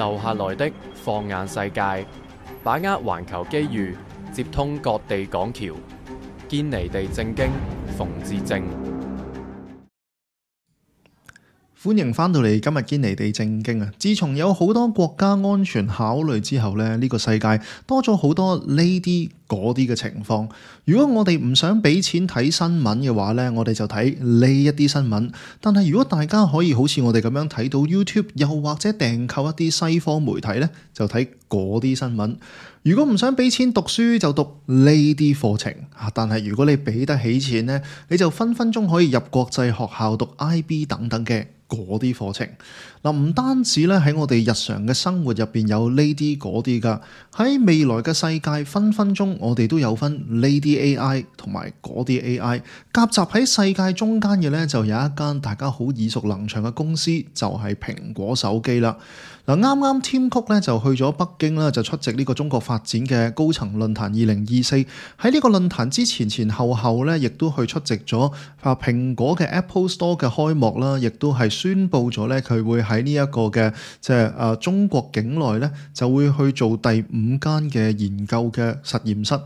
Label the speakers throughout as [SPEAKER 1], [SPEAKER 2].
[SPEAKER 1] 留下來的放眼世界，把握環球機遇，接通各地港橋，堅尼地正經，馮智政。
[SPEAKER 2] 歡迎翻到嚟今日堅尼地正經啊！自從有好多國家安全考慮之後咧，呢個世界多咗好多呢啲嗰啲嘅情況。如果我哋唔想俾錢睇新聞嘅話咧，我哋就睇呢一啲新聞。但係如果大家可以好似我哋咁樣睇到 YouTube， 又或者訂購一啲西方媒體咧，就睇嗰啲新聞。如果唔想俾錢讀書，就讀呢啲課程啊！但係如果你俾得起錢咧，你就分分鐘可以入國際學校讀 IB 等等嘅嗰啲課程。嗱，唔單止咧喺我哋日常嘅生活入邊有呢啲嗰啲噶，喺未來嘅世界分分鐘我哋都有分呢啲 AI 同埋嗰啲 AI 夾雜喺世界中間嘅咧，就有一間大家好耳熟能詳嘅公司，就係蘋果手機啦。嗱，啱啱 Tim Cook 咧就去咗北京啦，就出席呢個中國發展嘅高層論壇2024。喺呢個論壇之前後咧，亦都去出席咗蘋果嘅 Apple Store 嘅開幕啦，亦都係宣布咗咧佢會喺呢一個嘅中國境內咧就會去做第5間嘅研究嘅實驗室。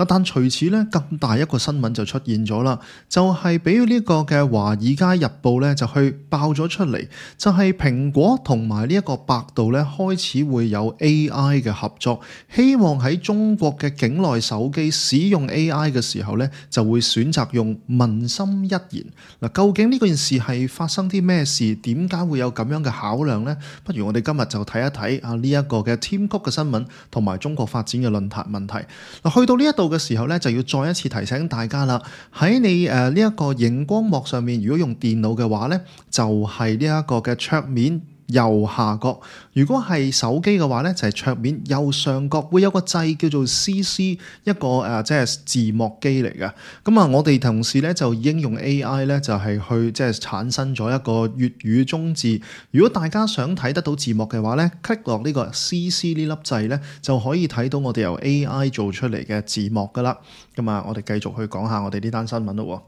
[SPEAKER 2] 但隨此咧，更大一個新聞就出現咗啦，就係俾呢個嘅《華爾街日報》咧就去爆咗出嚟，就係蘋果同埋呢一個百度咧開始會有 AI 嘅合作，希望喺中國嘅境內手機使用 AI 嘅時候咧，就會選擇用文心一言。嗱，究竟呢件事係發生啲咩事？點解會有咁樣嘅考量呢？不如我哋今日就睇一睇啊呢一個嘅 Tim Cook 嘅新聞同埋中國發展嘅論壇問題。嗱，去到呢一度嘅時候咧，就要再一次提醒大家啦。喺你呢一個熒光幕上面，如果用電腦嘅話咧，就係呢一個嘅桌面右下角；如果係手機嘅話咧，就係桌面右上角會有個掣叫做 CC， 一個即係字幕機嚟嘅。咁啊，我哋同事咧就已經用 AI 咧就係去即係產生咗一個粵語中字。如果大家想睇得到字幕嘅話咧，click 落呢個 CC 呢粒掣咧，就可以睇到我哋由 AI 做出嚟嘅字幕噶啦。咁啊，我哋繼續去講下我哋呢單新聞咯。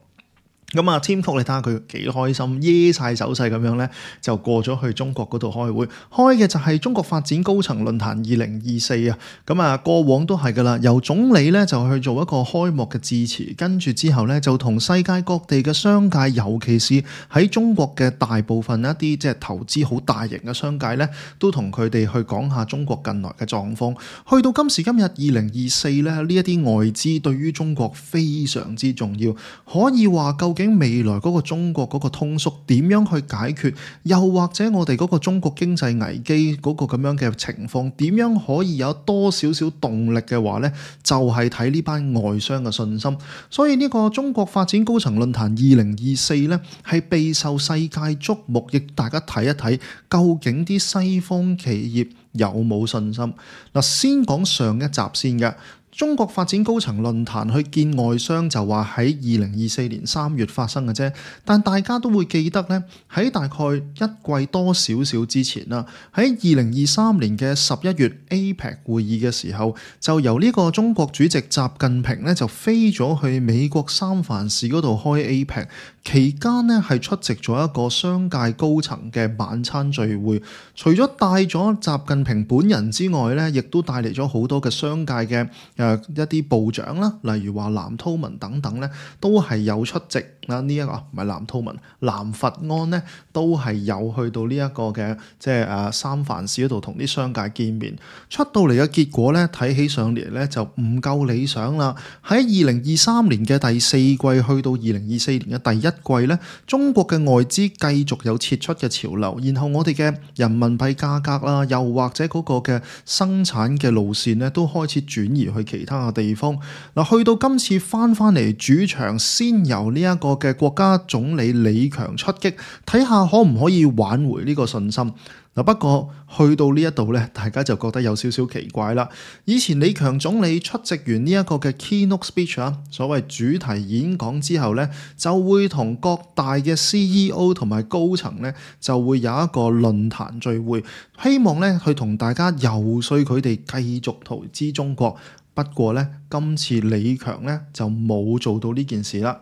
[SPEAKER 2] 咁啊，Tim Cook 你睇下佢幾開心，耶晒手勢咁樣咧，就過咗去中國嗰度開會，開嘅就係中國發展高層論壇2024啊。咁啊，過往都係噶啦，由總理咧就去做一個開幕嘅致辭，跟住之後咧就同世界各地嘅商界，尤其是喺中國嘅大部分一啲即係投資好大型嘅商界咧，都同佢哋去講下中國近來嘅狀況。去到今時今日2024咧，呢一啲外資對於中國非常之重要，可以話究竟未來嗰個中國嗰個通縮點樣去解決，又或者我哋嗰個中國經濟危機嗰個咁樣嘅情況點樣可以有多少少動力嘅話呢，就係睇呢班外商嘅信心。所以呢個中國發展高層論壇2024呢，係備受世界矚目，亦大家睇一睇究竟啲西方企業有冇信心。嗱，先講上一集先嘅。中國發展高層論壇去見外商就話喺2024年3月發生嘅啫，但大家都會記得咧，喺大概一季多少少之前啦，喺2023年嘅11月 APEC 會議嘅時候，就由呢個中國主席習近平咧就飛咗去美國三藩市嗰度開 APEC， 期間咧係出席咗一個商界高層嘅晚餐聚會，除咗帶咗習近平本人之外咧，亦都帶嚟咗好多嘅商界嘅一啲部長啦，例如話藍韜文等等咧，都係有出席啊。呢一個唔係藍韜文，藍佛安咧都係有去到呢一個嘅即係三藩市嗰度同啲商界見面。出到嚟嘅結果咧，睇起上嚟咧就唔夠理想啦。喺2023年嘅第四季去到2024年嘅第一季咧，中國嘅外資繼續有撤出嘅潮流，然後我哋嘅人民幣價格啦，又或者嗰個嘅生產嘅路線咧，都開始轉移去其他嘅地方。嗱，去到今次翻嚟主場，先由呢一個嘅國家總理李強出擊，睇下可唔可以挽回呢個信心。嗱，不過去到呢一度咧，大家就覺得有少少奇怪啦。以前李強總理出席完呢一個嘅 keynote speech 啊，所謂主題演講之後咧，就會同各大嘅 CEO 同埋高層咧，就會有一個論壇聚會，希望咧去同大家游說佢哋繼續投資中國。不過咧，今次李強咧就冇做到呢件事啦。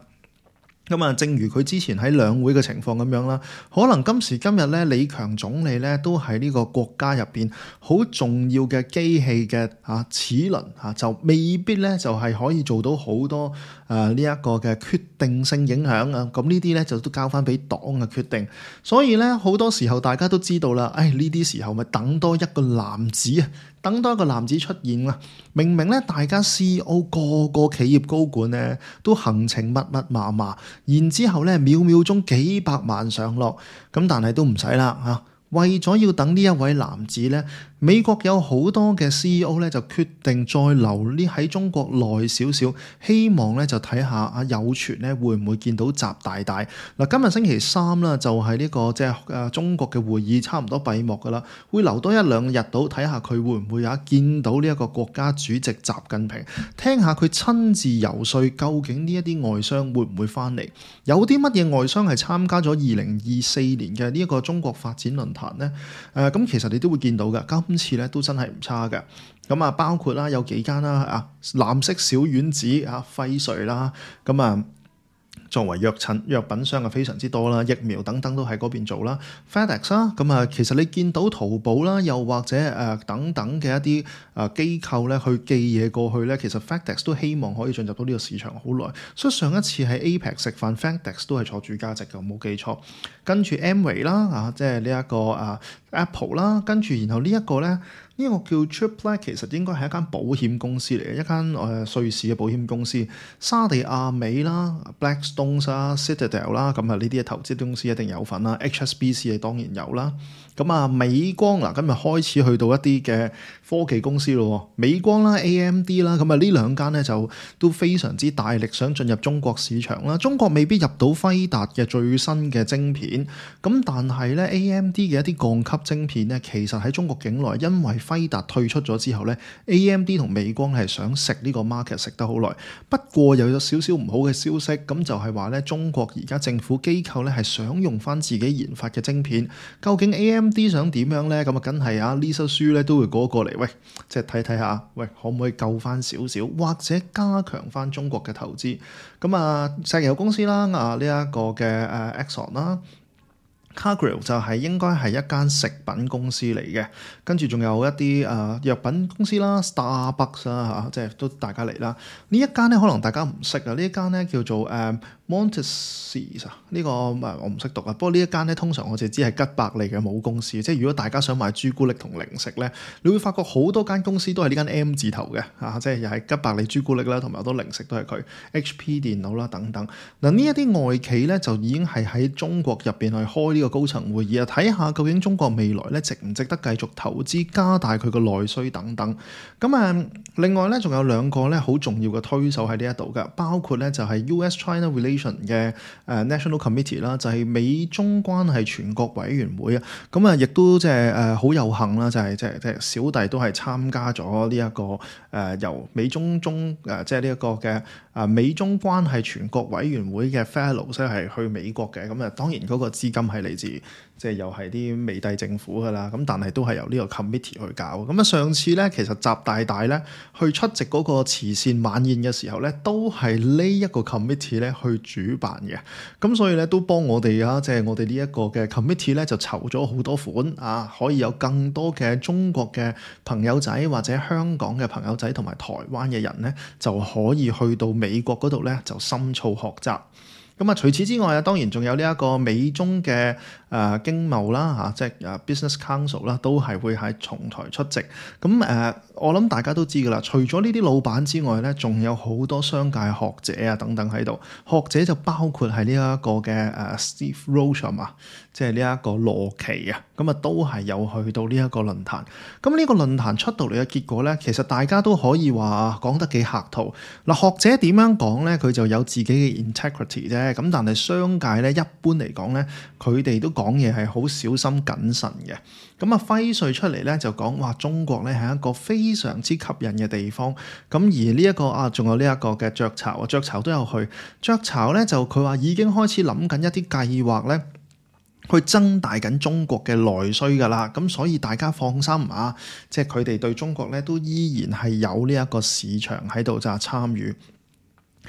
[SPEAKER 2] 咁啊，正如佢之前喺兩會嘅情況咁樣啦，可能今時今日咧，李強總理咧都喺呢個國家入邊好重要嘅機器嘅齒輪就未必咧就係可以做到好多呢一個嘅決定性影響啊。咁呢啲咧就都交翻俾黨嘅決定。所以咧好多時候大家都知道啦，呢啲時候咪等多一個男子啊，等多一個男子出現啦。明明咧大家 CEO 個企業高管咧都行程密密麻麻。然之後咧，秒秒鐘幾百萬上落，咁但係都唔使啦嚇。為咗要等呢一位男子咧，美國有好多嘅 CEO 咧就決定再留呢喺中國耐少少，希望咧就睇下有傳咧會唔會見到習大大嗱。今日星期三啦，就係呢個即係中國嘅會議差唔多閉幕噶啦，會留多一兩日到睇下佢會唔會見到呢一個國家主席習近平，聽下佢親自游說，究竟呢一啲外商會唔會翻嚟？有啲乜嘢外商係參加咗2024年嘅呢一個中國發展論壇咧？咁其實你都會見到嘅。今次咧都真係唔差嘅，咁啊包括啦有幾間啦藍色小丸子輝瑞啦，咁啊作為藥品商非常之多啦，疫苗等等都喺嗰邊做啦。FedEx 啦，咁啊其實你見到淘寶啦，又或者等等嘅一啲機構咧去寄嘢過去咧，其實 FedEx 都希望可以進入到呢個市場好耐。所以上一次喺 APEC 食飯，FedEx 都係坐住價值嘅，冇記錯。跟住 Amway 啦，即係呢一個Apple 啦，跟住然後呢一個咧。呢個叫 Triplet， 其實應該係一間保險公司嚟嘅，一間瑞士嘅保險公司。沙地亞美啦、Blackstone 啦、Citadel 啦，咁啊呢啲嘅投資公司一定有份啦。HSBC 係當然有啦。咁啊美光嗱，今日開始去到一啲嘅科技公司咯，美光啦、AMD 啦，咁啊呢兩間咧就都非常之大力想進入中國市場啦。中國未必入到輝達嘅最新嘅晶片，咁但係咧 AMD 嘅一啲鋼級晶片咧，其實喺中國境內因為輝達退出咗之後咧 ，AMD 同美光係想食呢個 market 食得好耐。不過又有少少唔好嘅消息，咁就係話咧，中國而家政府機構咧係想用翻自己研發嘅晶片。究竟 AMD 想點樣咧？咁啊，梗係Lisa Su 咧都會過嚟，喂，即係睇下，喂，可唔可以救翻少少，或者加強翻中國嘅投資？咁啊，石油公司啦，呢一個嘅Exxon 啦。Cargill 就係應該係一間食品公司嚟嘅，跟住仲有一啲藥品公司啦 ，Starbucks 啦即係都大家嚟啦。呢一間咧可能大家唔識啊，呢一間咧叫做Montessus 呢個我唔識讀啊。不過呢一間咧通常我哋知係吉百利嘅母公司，即係如果大家想買朱古力同零食咧，你會發覺好多間公司都係呢間 M 字頭嘅即係又係吉百利朱古力啦，同埋好多零食都係佢 HP 電腦啦等等。嗱呢一啲外企咧就已經係喺中國入邊去開呢個高層會議睇下究竟中國未來咧值唔值得繼續投資，加大佢個內需等等。咁另外咧仲有兩個咧好重要嘅推手喺呢一度嘅，包括咧就係 US-China Relation 嘅National Committee 啦，就係美中關係全國委員會啊。咁亦都即係好有幸啦，就係即係小弟都係參加咗呢一個由美中即係呢一個嘅美中關係全國委員會嘅 Fellows 係去美國嘅。咁當然嗰個資金係嚟自即係又係啲美帝政府噶啦，咁但係都係由呢個 committee 去搞。咁上次咧其實習大大咧去出席嗰個慈善晚宴嘅時候咧，都係呢一個 committee 咧去主辦嘅。咁所以咧都幫我哋即係我哋呢一個嘅 committee 咧就籌咗好多款可以有更多嘅中國嘅朋友仔或者香港嘅朋友仔同埋台灣嘅人咧就可以去到美國嗰度咧就深造學習。咁除此之外當然仲有呢一個美中嘅經貿啦即係Business Council 啦，都係會喺重台出席。咁我諗大家都知㗎啦，除咗呢啲老闆之外咧，仲有好多商界學者等等喺度。學者就包括係呢一個嘅Steve Roach 即係呢一個羅奇咁都係有去到呢一個論壇。咁呢個論壇出到嚟嘅結果咧，其實大家都可以話講得幾客套。嗱，學者點樣講咧？佢就有自己嘅 integrity 啫。咁但係商界咧，一般嚟講咧，佢哋都講嘢係好小心謹慎嘅。咁輝瑞出嚟咧就講話中國咧係一個非常之吸引嘅地方。咁而呢一個仲有呢一個嘅雀巢雀巢都有去。雀巢咧就佢話已經開始諗緊一啲計劃咧，去增大緊中國嘅內需㗎啦。咁所以大家放心即係佢哋對中國咧都依然係有呢一個市場喺度就係參與。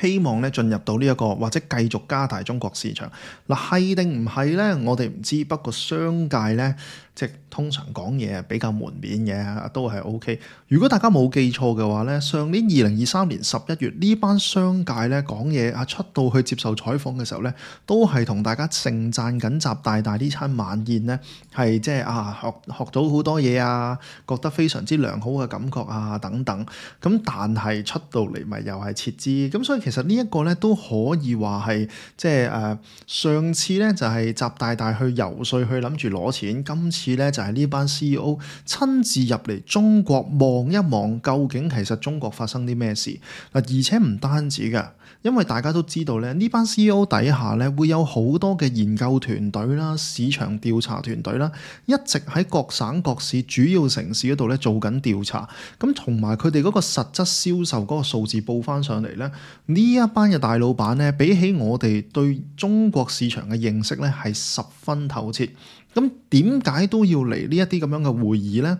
[SPEAKER 2] 希望咧進入到呢一個或者繼續加大中國市場。嗱，係定唔係咧？我哋唔知。不過商界咧，即係通常講嘢比較門面嘅，都係 OK。如果大家冇記錯嘅話咧，上年2023年11月呢班商界咧講嘢出到去接受採訪嘅時候咧，都係同大家盛讚緊習大大呢餐晚宴咧，係即係學到好多嘢啊，覺得非常之良好嘅感覺啊等等。咁但係出到嚟咪又係撤資。咁所以其實呢一個咧都可以話係即係上次咧就係習大大去游說去諗住攞錢，今次咧就係呢班 CEO 親自入嚟中國望一望，究竟其實中國發生啲咩事嗱，而且唔單止㗎。因為大家都知道咧，呢班 CEO 底下咧會有好多嘅研究團隊啦、市場調查團隊啦，一直喺各省各市主要城市嗰度咧做緊調查，咁同埋佢哋嗰個實質銷售嗰個數字報翻上嚟咧，呢一班嘅大老闆咧，比起我哋對中國市場嘅認識咧係十分透徹。咁點解都要嚟呢一啲咁樣嘅會議咧？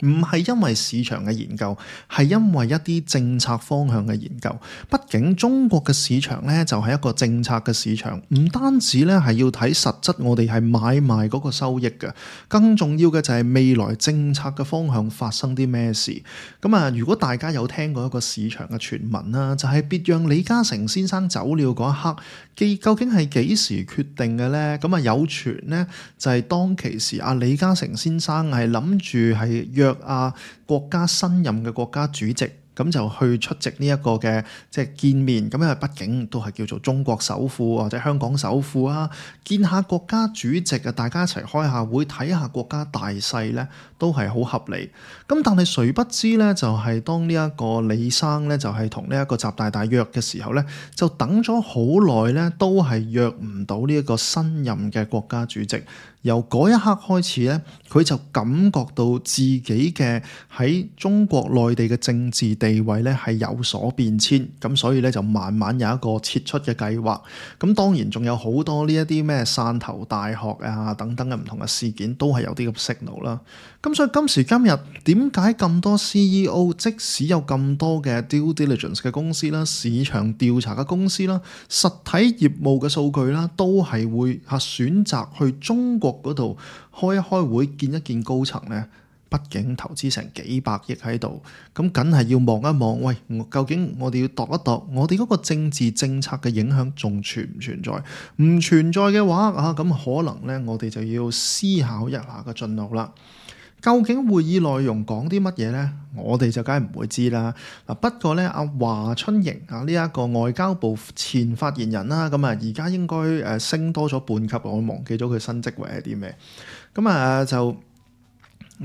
[SPEAKER 2] 唔係因為市場嘅研究，係因為一啲政策方向嘅研究。畢竟中國嘅市場咧就係一個政策嘅市場，唔單止咧係要睇實質，我哋係買賣嗰個收益嘅，更重要嘅就係未來政策嘅方向發生啲咩事。咁如果大家有聽過一個市場嘅傳聞啦，就係別讓李嘉誠先生走了嗰一刻，究竟係幾時決定嘅咧？有傳咧就係當其時李嘉誠先生係諗住係約國家新任嘅國家主席，咁就去出席呢一個嘅即係見面。咁因為畢竟都係叫做中國首富或者香港首富啊，見下國家主席啊，大家一齊開下會，睇下國家大勢咧，都係好合理。咁但係誰不知咧，就係當呢一個李生咧，就係同呢一個習大大約嘅時候咧，就等咗好耐咧，都係約唔到呢一個新任嘅國家主席。由嗰一刻開始咧，佢就感覺到自己嘅喺中國內地嘅政治地位咧係有所變遷，咁所以咧就慢慢有一個撤出嘅計劃。咁當然仲有好多呢一啲咩汕頭大學等等嘅唔同嘅事件，都係有啲咁 signal 啦。咁所以今時今日點解咁多 CEO， 即使有咁多嘅 due diligence 嘅公司啦、市場調查嘅公司啦、實體業務嘅數據啦，都係會選擇去中國嗰度開一開會，見一見高層呢？畢竟投資成幾百億喺度，咁梗係要望一望，喂，究竟我哋要度一度，我哋嗰個政治政策嘅影響仲存唔存在？唔存在嘅話咁可能呢，我哋就要思考一下個進路啦。究竟會議內容講啲乜嘢呢？我哋就梗係唔會知啦。不過呢，華春瑩呢一個外交部前發言人啦，而家應該升多咗半級，我忘記咗佢新職位係啲咩。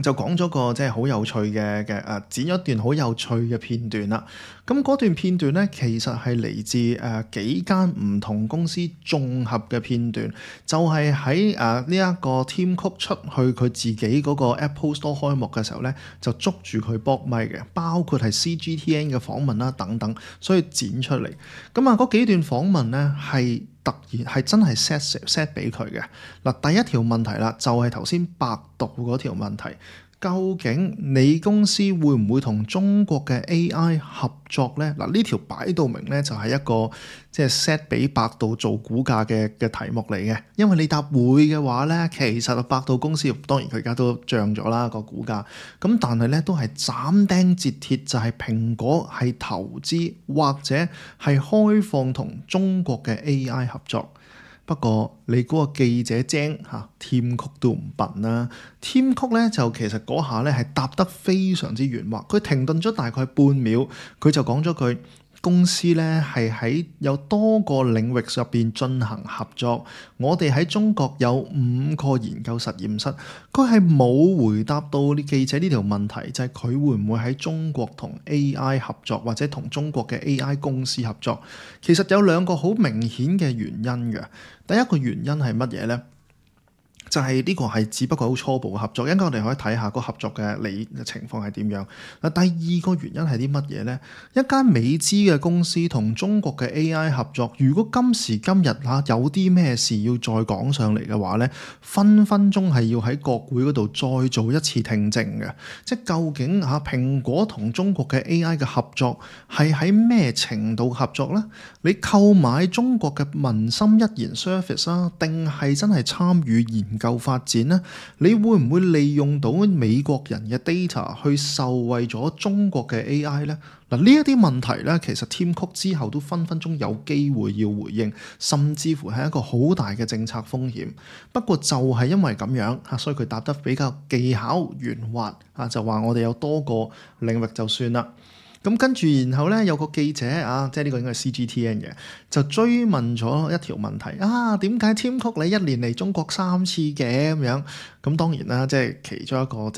[SPEAKER 2] 就講咗個即係好有趣嘅剪咗一段好有趣嘅片段啦。咁嗰段片段咧，其實係嚟自幾間唔同公司綜合嘅片段，就係喺呢一個 Tim Cook 出去佢自己嗰個 Apple Store 開幕嘅時候咧，就捉住佢搏咪嘅，包括係 CGTN 嘅訪問啦等等，所以剪出嚟。嗰幾段訪問咧係突然係真係 set 俾佢嘅。第一條問題啦，就係頭先百度嗰條問題。究竟你公司會唔會同中國嘅 AI 合作呢？呢條擺到明呢，就係一個即係 set 俾百度做股價嘅題目嚟嘅。因為你答會嘅話呢，其實百度公司當然佢而家都漲咗啦個股價，咁但係呢都係斬釘截鐵，就係蘋果係投資或者係開放同中國嘅 AI 合作。不過你嗰個記者精Tim Cook 都唔笨啦。Tim Cook 咧就其實嗰下咧係答得非常之圓滑，佢停頓咗大概半秒，佢就講咗句：公司咧係喺有多個領域入邊進行合作。我哋喺中國有5個研究實驗室。佢係冇回答到啲記者呢條問題，就係佢會唔會喺中國同 AI 合作，或者同中國嘅 AI 公司合作。其實有2個好明顯嘅原因嘅。第一個原因係乜嘢呢？就係呢個係只不過好初步嘅合作，一陣間我哋可以睇下個合作嘅情況係點樣。嗱，第二個原因係啲乜嘢呢？一間美資嘅公司同中國嘅 AI 合作，如果今時今日有啲咩事要再講上嚟嘅話呢，分分鐘係要喺國會嗰度再做一次聽證嘅。即係究竟蘋果同中國嘅 AI 嘅合作係喺咩程度合作呢？你購買中國嘅文心一言 service 啊，定係真係參與研究發展呢？你會唔會利用到美國人嘅 data 去受惠咗中國嘅 AI 呢？嗱，呢一啲問題咧，其實 Tim Cook 之後都分分鐘有機會要回應，甚至乎係一個好大嘅政策風險。不過就係因為咁樣嚇，所以佢答得比較技巧圓滑嚇，就話我哋有多個領域就算啦。咁跟住然後咧有個記者即係呢個應該係 CGTN 嘅，就追問咗一條問題點解 Tim Cook 你一年嚟中國3次嘅咁樣？咁當然啦，即係其中一個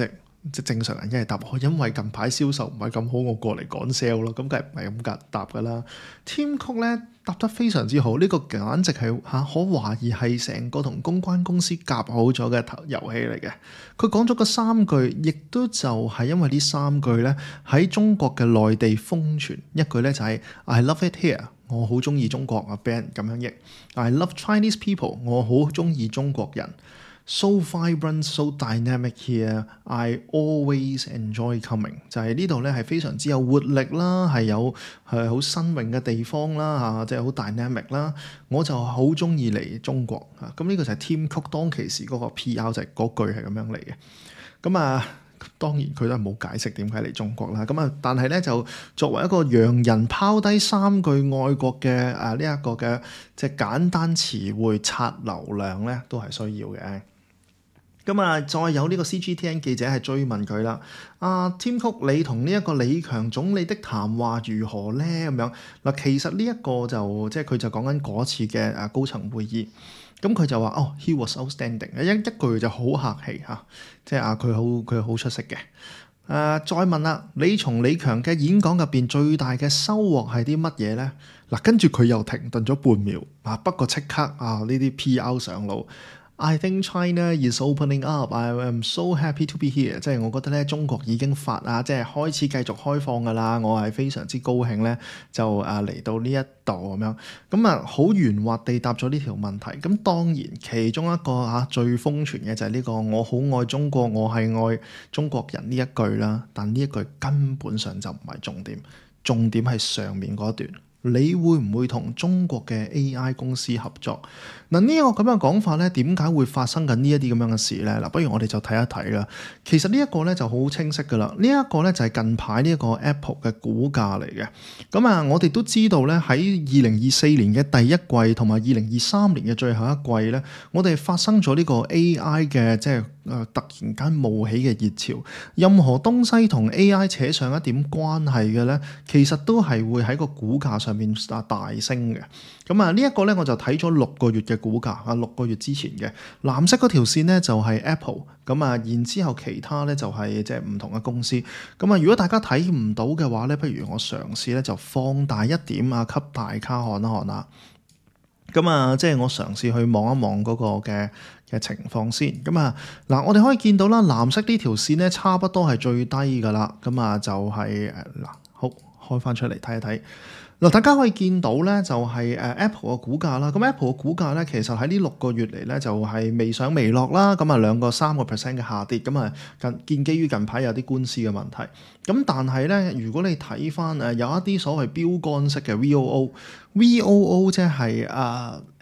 [SPEAKER 2] 即正常人一係答我，因為近排銷售唔係咁好，我過嚟趕 sale 咯，咁梗係唔係咁答㗎啦。Tim Cook 咧答得非常之好，呢個簡直係可懷疑係成個同公關公司夾好咗嘅遊戲嚟嘅。佢講咗個3句，亦都就係因為呢3句咧喺中國嘅內地瘋傳，一句咧就係 I love it here， 我好中意中國啊 ，band 咁樣譯 I love Chinese people， 我好中意中國人。So vibrant, so dynamic here. I always enjoy coming. 就係呢度咧係非常之有活力啦，係好新穎嘅地方啦即係好 dynamic 啦。我就好中意嚟中國咁呢個就係 Tim Cook 當其時嗰個 PR 就係嗰句係咁樣嚟嘅。咁當然佢都係冇解釋點解嚟中國啦。但係咧就作為一個洋人拋低3句愛國嘅呢一個嘅即係簡單詞彙刷流量咧，都係需要嘅。再有呢個 CGTN 記者係追問佢啦，Tim Cook 你同呢一個李強總理的談話如何呢？咁樣嗱，其實呢一個就即係佢就講緊嗰次嘅高層會議，咁佢就話he was outstanding， 一句就好客氣即係佢好出色嘅。再問啦，你從李強嘅演講入邊最大嘅收穫係啲乜嘢呢？跟住佢又停頓咗半秒不過即刻呢啲 PR 上路。I think China is opening up. I am so happy to be here. 即係我覺得咧，中國已經即係開始繼續開放㗎啦。我係非常之高興咧，就嚟到呢一度咁樣。好圓滑地答咗呢條問題。咁當然其中一個最瘋傳嘅就係呢個我好愛中國，我係愛中國人呢一句啦。但呢一句根本上就唔係重點，重點係上面嗰段。你會唔會同中國嘅 AI 公司合作？呢個咁樣講法咧，點解會發生緊呢一啲咁樣嘅事咧？不如我哋就睇一睇啦。其實呢一個咧就好清晰噶啦。呢一個咧就係近排呢一個 Apple 嘅股價嚟嘅。我哋都知道咧，喺2024年嘅第一季同埋2023年嘅最後一季咧，我哋發生咗呢個 AI 嘅即係突然間冒起嘅熱潮。任何東西同 AI 扯上一點關係嘅咧，其實都係會喺個股價上面大升嘅。呢一個咧我就睇咗6個月嘅股價6個月之前嘅藍色嗰條線咧就係 Apple， 然之後其他咧就係即係唔同嘅公司。如果大家睇唔到嘅話咧，不如我嘗試咧就放大一點給大家看一看啦。即係我嘗試去望一望嗰個嘅情況先。我哋可以見到啦，藍色呢條線咧差不多係最低噶啦。就係好開翻出嚟睇一睇。大家可以見到咧，就係Apple 嘅股價啦。Apple 嘅股價咧，其實喺呢6個月嚟咧，就係微上微落啦。2%、3% 嘅下跌。建基於近排有啲官司嘅問題。但係咧，如果你睇翻有一啲所謂標杆式嘅 VOO 即係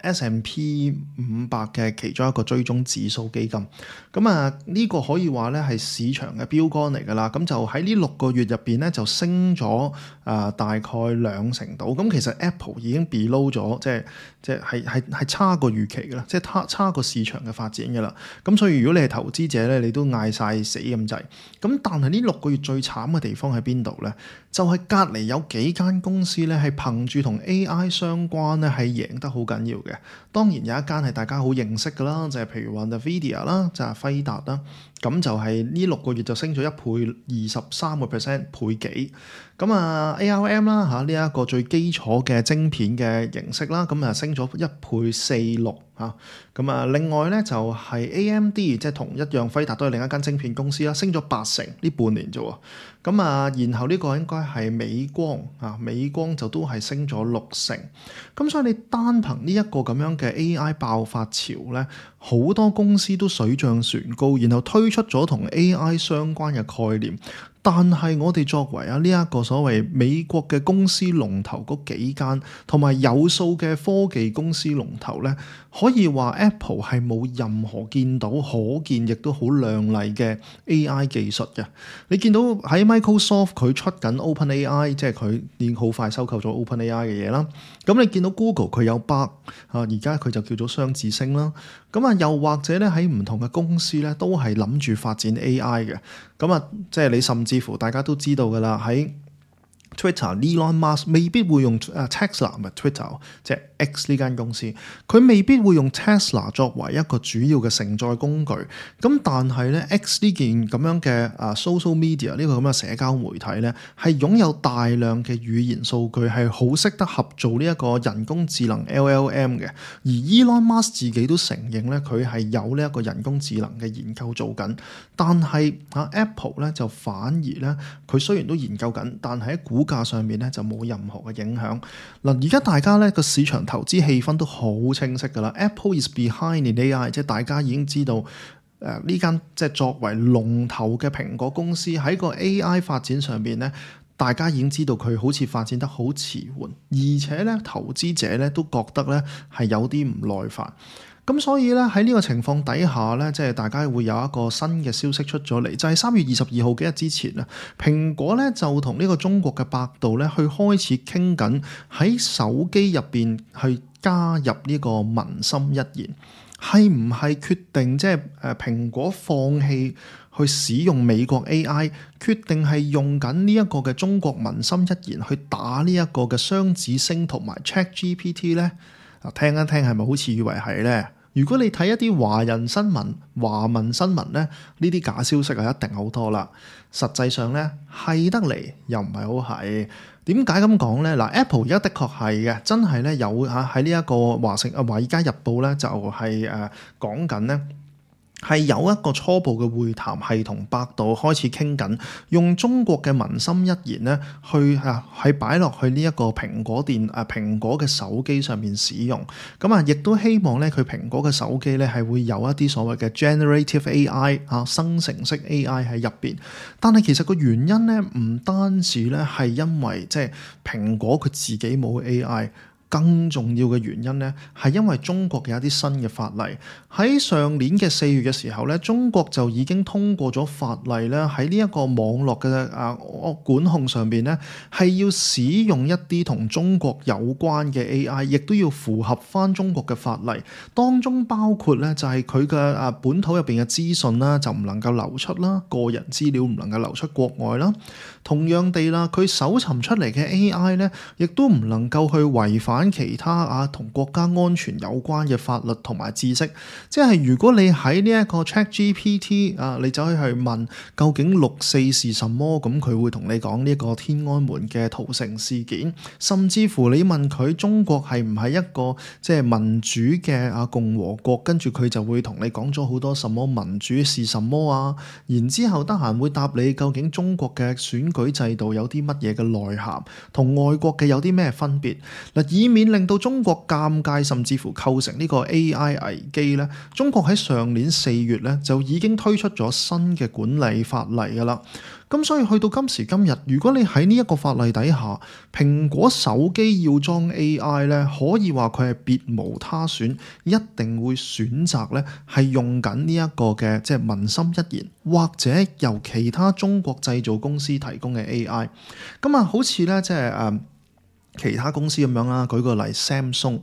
[SPEAKER 2] S&P 500嘅其中一個追蹤指數基金。呢個可以話咧係市場嘅標杆嚟㗎啦。就喺呢6個月入邊咧，就升咗大概2成度。其實 Apple 已經 below 咗，即係差過預期㗎啦，即係差過市場嘅發展㗎啦。所以如果你係投資者咧，你都嗌晒死咁滯。但係呢6個月最慘嘅地方喺邊度咧？就係隔離有幾間公司咧，係憑住同 AI 相關咧，係贏得好緊要嘅。當然有一間係大家好認識㗎啦，就係譬如話 NVIDIA 啦，就係輝達啦。咁就係呢6個月就升咗1倍23%，倍幾。咁ARM 啦嚇，呢一個最基礎嘅晶片嘅形式啦，咁升咗1倍46嚇。咁另外咧就係 AMD，即係同一樣輝達都係另一間晶片公司啦，升咗80%呢半年啫喎。咁然後呢個應該係美光啊，美光就都係升咗60%。咁所以你單憑呢一個咁樣嘅 AI 爆發潮咧，好多公司都水漲船高，然後推出咗同 AI 相關嘅概念。但係我哋作為呢一個所謂美國嘅公司龍頭嗰幾間，同埋有數嘅科技公司龍頭咧，可以話 Apple 係冇任何見到可見亦都好亮麗嘅 AI 技術嘅。你見到喺 Microsoft 佢出緊 OpenAI， 即係佢已經好快收購咗 OpenAI 嘅嘢啦。咁你見到 Google 佢有 Bard 而家佢就叫做雙子星啦。咁又或者咧喺唔同嘅公司咧都係諗住發展 AI 嘅。咁即係你甚至乎大家都知道㗎啦，喺 Twitter，Elon Musk 未必會用Tesla 唔係 Twitter， 即係 X 呢間公司，佢未必會用 Tesla 作為一個主要嘅承載工具。咁但係咧 X 呢件咁樣嘅social media 呢個咁嘅社交媒體咧，係擁有大量嘅語言數據，係好識得合做呢一個人工智能 LLM 嘅。而 Elon Musk 自己都承認咧，佢係有呢一個人工智能嘅研究做緊。但係Apple 咧就反而咧，佢雖然都研究緊，但係喺股價上面咧就冇任何嘅影響。嗱，而家大家咧個市場投資氣氛都好清晰㗎啦。Apple is behind in AI， 即係大家已經知道呢間即係作為龍頭嘅蘋果公司喺個 AI 發展上面咧，大家已經知道佢好似發展得好遲緩，而且咧投資者咧都覺得咧係有啲唔耐煩。咁所以咧喺呢個情況底下咧，即係大家會有一個新嘅消息出咗嚟，就係3月22號幾日之前啊，蘋果咧就同呢個中國嘅百度咧去開始傾緊喺手機入邊去加入呢個文心一言，係唔係決定即係蘋果放棄去使用美國 AI， 決定係用緊呢一個嘅中國文心一言去打呢一個嘅雙子星同埋 ChatGPT 咧？聽一聽係咪好似以為係咧？如果你睇一啲華文新聞咧，呢啲假消息一定好多啦。實際上咧係得嚟又唔係好係。點解咁講咧？嗱 ，Apple 而家的確係嘅，真係咧有喺呢一個華爾街日報咧就係講緊咧。係有一個初步嘅會談，係同百度開始傾緊，用中國嘅文心一言咧，去係擺落去呢一個蘋果嘅手機上面使用。咁亦都希望咧，佢蘋果嘅手機咧係會有一啲所謂嘅 generative AI 生成式 AI 喺入邊。但係其實個原因咧，唔單止咧係因為即係蘋果佢自己冇 AI。更重要嘅原因咧，係因為中國嘅一啲新嘅法例。喺上年嘅4月嘅時候咧，中國就已經通過咗法例咧，喺呢一個網絡嘅管控上邊咧，係要使用一啲同中國有關嘅 AI， 亦都要符合翻中國嘅法例。當中包括咧就係佢嘅本土入邊嘅資訊啦，就唔能夠流出啦，個人資料唔能夠流出國外啦。同樣地啦，佢搜尋出嚟嘅 AI 咧，亦都唔能夠去違反其他同國家安全有關嘅法律同埋知識。即係如果你喺呢一個 ChatGPT 你走去問究竟6.4是什麼，咁佢會同你講呢個天安門嘅屠城事件。甚至乎你問佢中國係唔係一個即係民主嘅共和國，跟住佢就會同你講咗好多什麼民主是什麼啊。然之後得閒會答你究竟中國嘅選舉制度有啲乜嘢嘅內涵，同外國嘅有啲咩分別嗱，以免令到中國尷尬，甚至乎構成呢個 AI 危機咧。中國喺上年4月咧就已經推出咗新嘅管理法例㗎啦。咁所以去到今時今日，如果你喺呢一個法例底下，蘋果手機要裝 AI 咧，可以話佢係別無他選，一定會選擇咧係用緊呢一個嘅即係文心一言，或者由其他中國製造公司提供嘅 AI。咁好似咧即係其他公司咁樣啦，舉個例 Samsung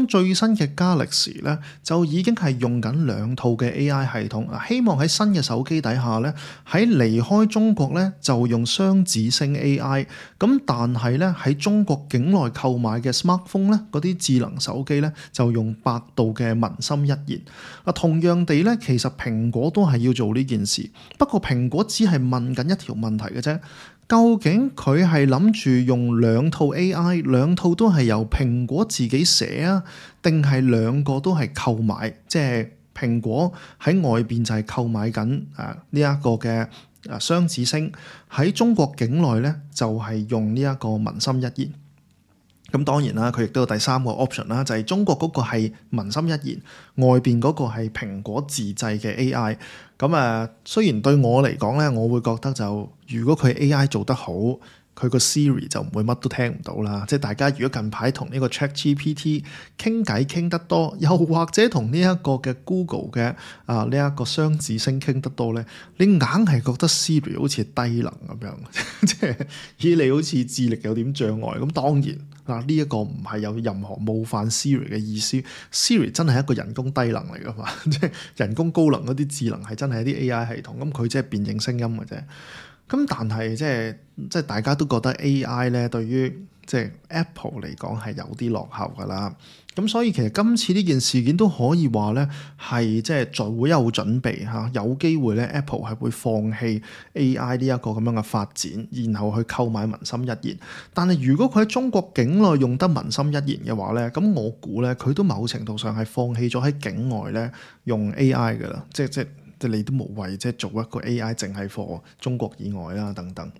[SPEAKER 2] 最新嘅 Galaxy 咧就已經係用緊2套嘅 AI 系統，希望喺新嘅手機底下咧，喺離開中國咧就用雙子星 AI， 咁但係咧喺中國境內購買嘅 smartphone 咧，嗰啲智能手機咧就用百度嘅文心一言。同樣地咧，其實蘋果都係要做呢件事，不過蘋果只係問緊一條問題嘅啫。究竟佢係諗住用2套 AI， 2套都係由蘋果自己寫啊，定係2個都係購買？即係蘋果喺外邊就係購買緊呢一個嘅雙子星，喺中國境內咧就係用呢一個文心一言。咁當然啦，佢亦都有第3個 option 啦，就係中國嗰個係文心一言，外邊嗰個係蘋果自製嘅 AI。咁雖然對我嚟講咧，我會覺得就如果佢 AI 做得好，佢個 Siri 就唔會乜都聽唔到啦。即係大家如果近排同呢個 ChatGPT 傾偈傾得多，又或者同呢一個嘅 Google 嘅呢一個雙子星傾得多咧，你硬係覺得 Siri 好似低能咁樣，即係以你好似智力有點障礙。咁當然呢一個唔係有任何冒犯 Siri 嘅意思。Siri 真係一個人工低能嚟噶嘛，即係人工高能嗰啲智能係真係一啲 AI 系統，咁佢即係辨認聲音嘅啫。咁但係即係大家都覺得 AI 咧對於即係 Apple 嚟講係有啲落後㗎啦。咁所以其實今次呢件事件都可以話咧係即係在會有準備嚇，有機會咧 Apple 係會放棄 AI 呢一個咁樣嘅發展，然後去購買文心一言。但係如果佢喺中國境內用得文心一言嘅話咧，咁我估咧佢都某程度上係放棄咗喺境外咧用 AI 㗎啦，即係你都無謂即係做一個 AI 淨係 for 中國以外啦等等。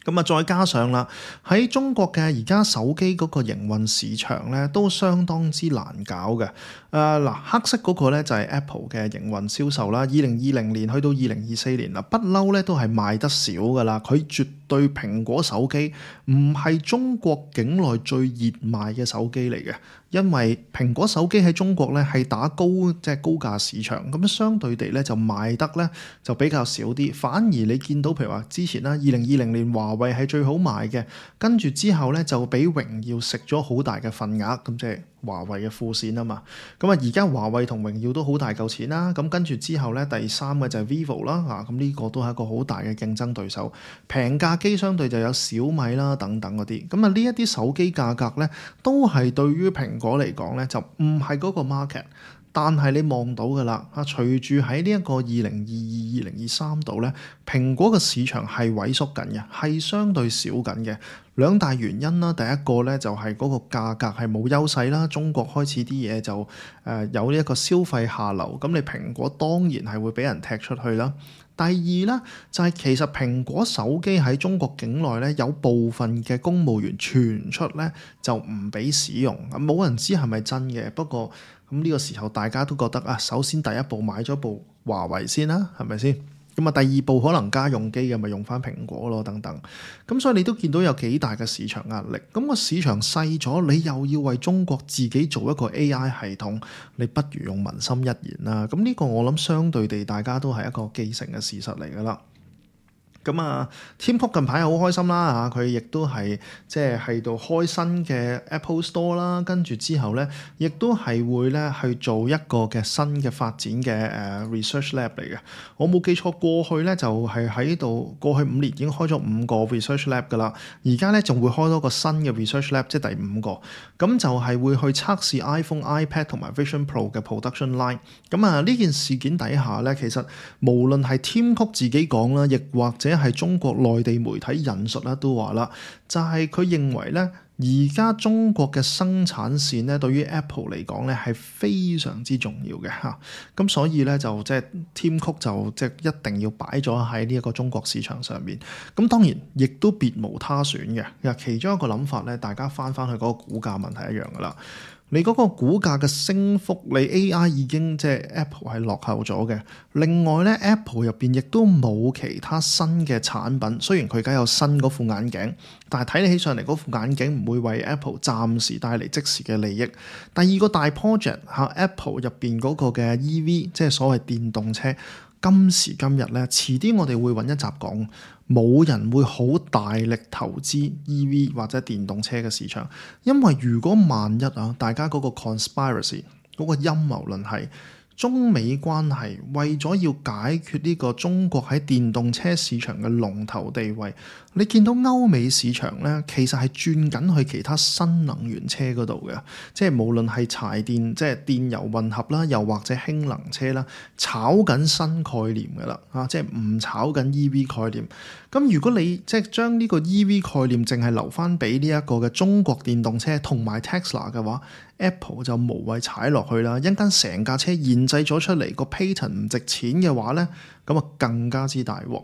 [SPEAKER 2] 咁再加上啦，喺中國嘅而家手機嗰個營運市場咧，都相當之難搞嘅。黑色嗰個咧就係 Apple 嘅營運銷售啦。2020年去到2024年啦，不嬲咧都係賣得少噶啦。佢絕對蘋果手機唔係中國境內最熱賣嘅手機嚟嘅，因為蘋果手機喺中國咧係打高價市場，咁相對地咧就賣得咧就比較少啲。反而你見到譬如話之前啦，2020年華為係最好賣嘅，跟住之後咧就俾榮耀食咗好大嘅份額，咁即係華為嘅副線啊嘛。咁而家華為同榮耀都好大嚿錢啦，咁跟住之後咧第3個就係 Vivo 啦，咁呢個都係一個好大嘅競爭對手。平價機相對就有小米啦等等嗰啲，咁呢一啲手機價格咧都係對於蘋果嚟講咧就唔係嗰個 market。但係你望到㗎啦，隨住喺呢一個2022、2023度咧，蘋果嘅市場係萎縮緊嘅，係相對少緊嘅。2大原因啦，第一個咧就係嗰個價格係冇優勢啦，中國開始啲嘢就有呢一個消費下流，咁你蘋果當然係會俾人踢出去啦。第二咧就係其實蘋果手機喺中國境內咧有部分嘅公務員傳出咧就唔俾使用，冇人知係咪真嘅。不過咁呢個時候大家都覺得首先第一步買咗部華為先啦，係咪先？咁第二步可能家用機嘅咪用翻蘋果咯，等等。咁所以你都見到有幾大嘅市場壓力。咁個市場細咗，你又要為中國自己做一個 AI 系統，你不如用文心一言啦。咁呢個我諗相對地大家都係一個既成嘅事實嚟㗎啦。咁Tim Cook 近排好開心啦嚇，佢亦都係即係喺度開新嘅 Apple Store 啦，跟住之後咧，亦都係會咧去做一個嘅新嘅發展嘅research lab 嚟嘅。我冇記錯，過去咧就係喺度過去5年已經開咗5個 research lab 㗎啦，而家咧仲會開多個新嘅 research lab，即係第5個。咁就係會去測試 iPhone、iPad 同埋 Vision Pro 嘅 production line。咁呢件事件底下咧，其實無論係 Tim Cook 自己講啦，亦或者係中國內地媒體引述啦，都話啦，就係佢認為咧，而家中國嘅生產線咧，對於 Apple 嚟講咧係非常之重要嘅嚇。咁所以咧就即係 Tim Cook 就即係一定要擺咗喺呢一個中國市場上面。咁當然亦都別無他選嘅。其中一個諗法咧，大家翻去嗰個股價問題一樣噶啦。你嗰個股價嘅升幅，你 AI 已經即係 Apple 係落後咗嘅。另外咧 ，Apple 入邊亦都冇其他新嘅產品。雖然佢而家有新嗰副眼鏡，但係睇起上嚟嗰副眼鏡唔會為 Apple 暫時帶嚟即時嘅利益。第二個大 project Apple 入邊嗰個嘅 EV，即係所謂電動車。今時今日咧，遲啲我哋會揾一集講，冇人會好大力投資 EV 或者電動車嘅市場，因為如果萬一大家嗰個 conspiracy 嗰個陰謀論係中美關係為咗要解決呢個中國喺電動車市場嘅龍頭地位，你見到歐美市場咧，其實係轉緊去其他新能源車嗰度嘅，即係無論係柴電，即係電油混合啦，又或者氫能車啦，炒緊新概念㗎啦，即係唔炒緊 EV 概念。咁如果你即係將呢個 EV 概念淨係留翻俾呢一個嘅中國電動車同埋 Tesla 嘅話， Apple 就無謂踩落去啦。一間成架車研製咗出嚟個 patent 唔值錢嘅話咧，咁啊更加之大鑊。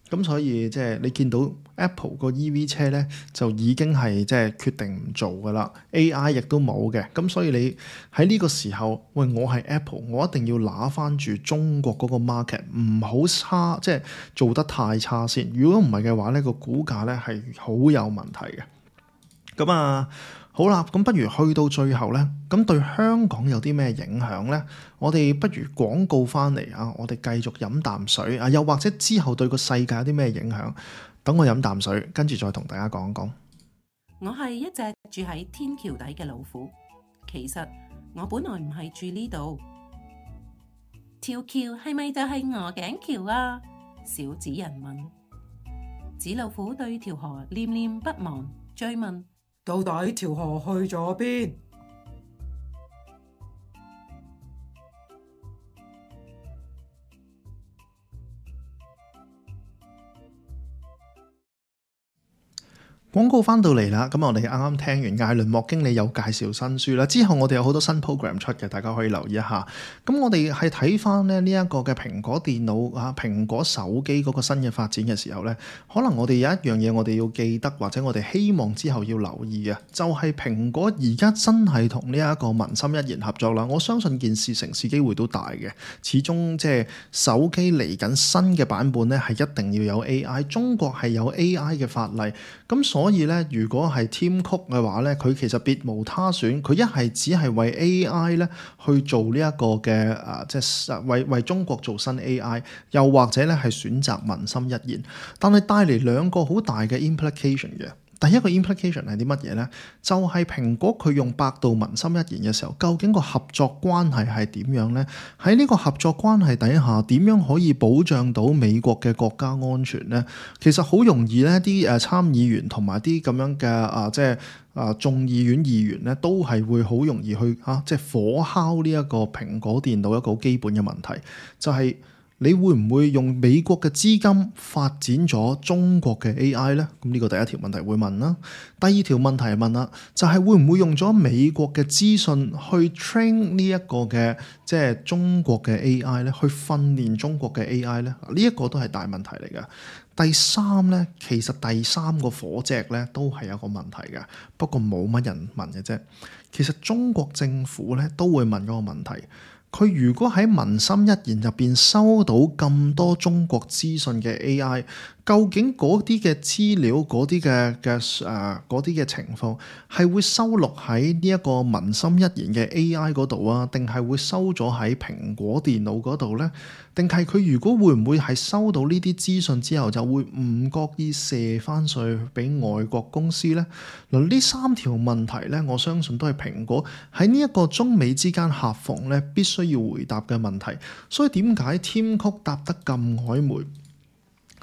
[SPEAKER 2] 咁所以即係你見到 Apple 個 EV 車咧，就已經係即係決定唔做噶啦。AI 亦都冇嘅。咁所以你喺呢個時候，喂，我係 Apple，我一定要拿翻住中國嗰個 market， 唔好差，即係做得太差先。如果唔係嘅話咧，個股價咧係好有問題嘅。咁啊〜好啦，咁不如去到最後呢，咁對香港有啲咩影響呢？我哋不如廣告翻嚟啊！我哋繼續飲啖水啊，又或者之後對個世界有啲咩影響？等我飲啖水，跟住再同大家講講。
[SPEAKER 3] 我係一隻住喺天橋底嘅老虎，其實我本來唔係住呢度。條橋係咪就係鵝頸橋啊？小紙人問。紙老虎對條河念念不忘，追問。到底條河去咗邊？
[SPEAKER 2] 廣告翻到嚟啦，咁我哋啱啱聽完艾倫莫經理有介紹新書啦，之後我哋有好多新 program 出嘅，大家可以留意一下。咁我哋係睇翻咧呢一個嘅蘋果電腦蘋果手機嗰個新嘅發展嘅時候咧，可能我哋有一樣嘢我哋要記得，或者我哋希望之後要留意嘅，就係蘋果而家真係同呢一個文心一言合作啦。我相信件事成事機會都大嘅，始終即係手機嚟緊新嘅版本咧，係一定要有 AI， 中國係有 AI 嘅法例，咁所以咧，如果係 Tim Cook 嘅話咧，佢其實別無他選，佢一係只係為 AI 咧去做呢一個嘅即係為中國做新 AI， 又或者咧係選擇文心一言，但係帶嚟兩個好大嘅 implication 嘅。第一個 implication 係啲乜嘢呢？就係蘋果佢用百度文心一言嘅時候，究竟個合作關係係點樣呢？喺呢個合作關係底下，點樣可以保障到美國嘅國家安全呢？其實好容易呢啲參議員同埋啲咁樣嘅即係眾議院議員呢，都係會好容易去即係火烤呢一個蘋果電腦一個好基本嘅問題，就係你會唔會用美國嘅資金發展咗中國嘅 AI 呢？咁呢個第一條問題會問啦。第二條問題問啦，就係會唔會用咗美國嘅資訊去 train 呢一個嘅即係中國嘅 AI 呢？去訓練中國嘅 AI 呢？呢一個都係大問題嚟㗎。第三呢，其實第三個火隻呢都係有個問題嘅，不過冇乜人問嘅啫。其實中國政府呢都會問嗰個問題。佢如果喺文心一言入邊收到咁多中國資訊嘅 AI， 究竟嗰啲嘅資料、嗰啲嘅情況係會收錄喺呢一個文心一言嘅 AI 嗰度啊，定係會收咗喺蘋果電腦嗰度呢？定係佢如果會唔會係收到呢啲資訊之後就會唔覺意射翻上去俾外國公司呢？嗱，呢三條問題呢，我相信都係蘋果喺呢一個中美之間夾縫呢必須要回答嘅問題。所以點解 Tim Cook 答得咁曖昧？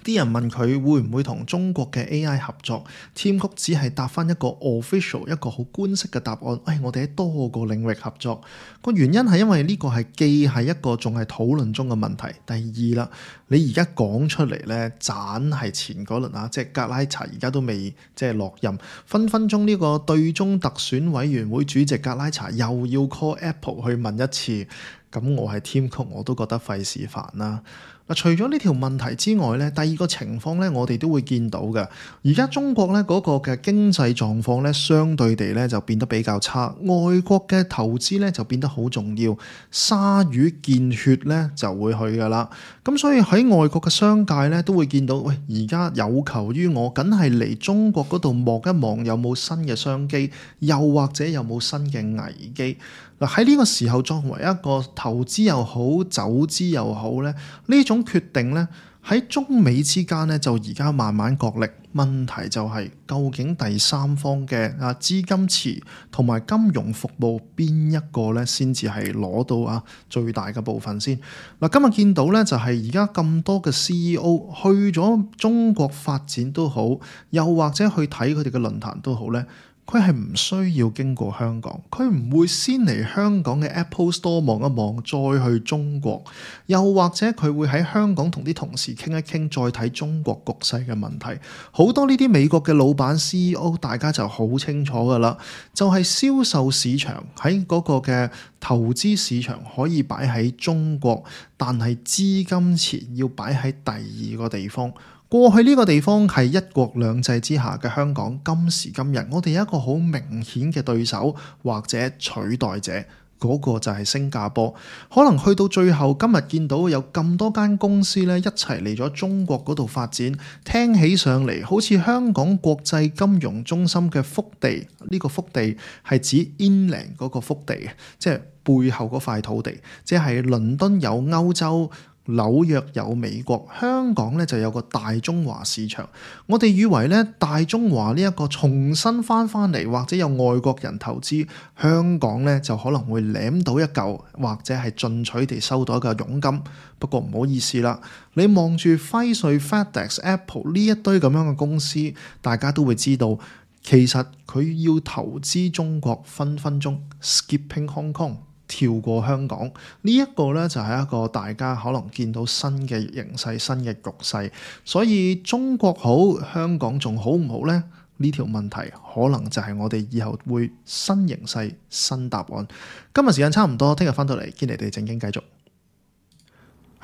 [SPEAKER 2] 啲人問佢會唔會同中國嘅 AI 合作，Tim Cook只係答翻一個 official 一個好官式嘅答案。我哋喺多個領域合作，個原因係因為呢個係既係一個仲係討論中嘅問題。第二啦，你而家講出嚟咧，盞係前嗰輪即係格拉查而家都未即係落任，分分鐘呢個對中特選委員會主席格拉查又要 call Apple 去問一次，咁我係 Tim Cook 我都覺得費事煩啦。嗱，除咗呢條問題之外咧，第二個情況咧，我哋都會見到嘅。而家中國咧嗰個嘅經濟狀況咧，相對地咧就變得比較差。外國嘅投資咧就變得好重要，鯊魚見血咧就會去噶啦。咁所以喺外國嘅商界咧都會見到，喂，而家有求於我，梗係嚟中國嗰度望一望有冇新嘅商機，又或者有冇新嘅危機。嗱，喺呢個時候作為一個投資又好走資又好咧，呢種決定咧喺中美之間咧就而家慢慢角力。問題就係究竟第三方嘅資金池同埋金融服務邊一個咧先至係攞到最大嘅部分先。嗱，今日見到咧就係而家咁多嘅 CEO 去咗中國發展都好，又或者去睇佢哋嘅論壇都好咧。佢係唔需要經過香港，佢唔會先嚟香港嘅 Apple Store 望一望，再去中國，又或者佢會喺香港同啲同事傾一傾，再睇中國局勢嘅問題。好多呢啲美國嘅老闆 CEO， 大家就好清楚噶啦，就係銷售市場喺嗰個嘅投資市場可以擺喺中國，但係資金錢要擺喺第二個地方。過去呢個地方係一國兩制之下嘅香港，今時今日我哋有一個好明顯嘅對手或者取代者，嗰個就係新加坡。可能去到最後今日見到有咁多間公司咧一齊嚟咗中國嗰度發展，聽起上嚟好似香港國際金融中心嘅腹地，呢個腹地係指 inland 嗰個腹地，即係背後嗰塊土地，即係倫敦有歐洲，紐約有美國，香港咧就有個大中華市場。我哋以為咧大中華呢一個重新翻嚟，或者有外國人投資，香港咧就可能會攬到一嚿，或者係進取地收到一個佣金。不過唔好意思啦，你望住輝瑞、FedEx、Apple 呢一堆咁樣嘅公司，大家都會知道，其實佢要投資中國分分鐘 skipping Hong Kong。跳過香港呢一個呢，就係一個大家可能見到新嘅形勢、新嘅局勢，所以中國好，香港仲好唔好呢？呢條問題可能就係我哋以後會新形勢、新答案。今日時間差唔多，聽日翻到嚟堅尼地正經繼續。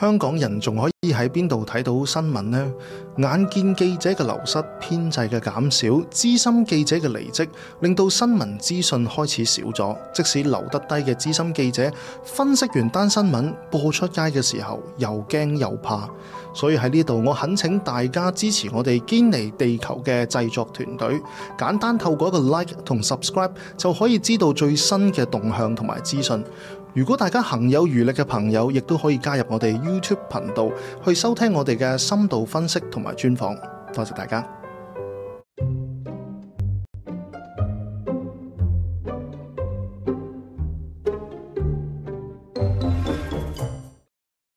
[SPEAKER 2] 香港人仲可以喺邊度睇到新聞呢？眼見記者嘅流失、編制嘅減少、資深記者嘅離職，令到新聞資訊開始少咗。即使留得低嘅資深記者，分析完單新聞播出街嘅時候，又驚又怕。所以喺呢度，我懇請大家支持我哋堅尼地球嘅製作團隊，簡單透過一個 like 同 subscribe 就可以知道最新嘅動向同埋資訊。如果大家行有餘力嘅朋友，亦都可以加入我哋 YouTube 頻道去收聽我哋嘅深度分析同埋專訪。多謝大家。